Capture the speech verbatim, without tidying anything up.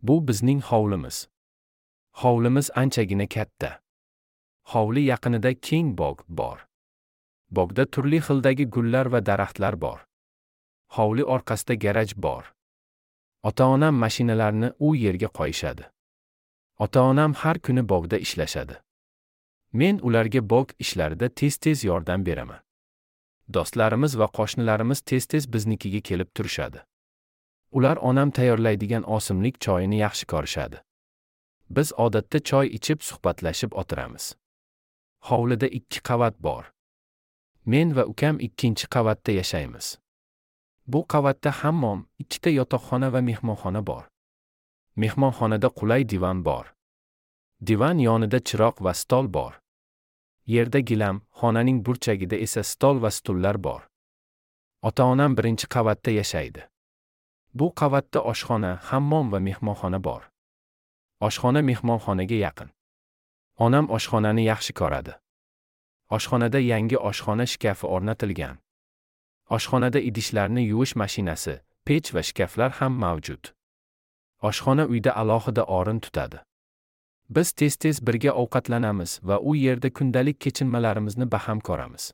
Bu bizning hovlimiz. Hovlimiz anchagina katta. Hovli yaqinida keng bog' bor. Bog'da turli xildagi gullar va daraxtlar bor. Hovli orqasida garaj bor. Ota-onam mashinalarni u yerga qo'yishadi. Ota-onam har kuni bog'da ishlashadi. Men ularga bog' ishlarida tez-tez yordam beraman. Do'stlarimiz va qo'shnilarimiz tez-tez biznikiga kelib turishadi. Ular onam tayyorlaydigan osimlik choyini yaxshi ko'rishadi. Biz odatda choy ichib suhbatlashib o'tiramiz. Hovlida ikki qavat bor. Men va ukam ikkinchi qavatda yashaymiz. Bu qavatda hammom, ikkita yotoqxona va mehmonxona bor. Mehmonxonada qulay divan bor. Divan yonida chiroq va stol bor. Yerda gilam, xonaning burchagida esa stol va stullar bor. Ota-onam birinchi qavatda yashaydi. Bu qavatda oshxona, hammom va mehmonxona bor. Oshxona mehmonxonaga yaqin. Onam oshxonani yaxshi ko'radi. Oshxonada yangi oshxona shkafi o'rnatilgan. Oshxonada idishlarni yuvish mashinasi, pech va shkaflar ham mavjud. Oshxona uyda alohida o'rin tutadi. Biz tez-tez birga ovqatlanamiz va u yerda kundalik kechinmalarimizni baham ko'ramiz.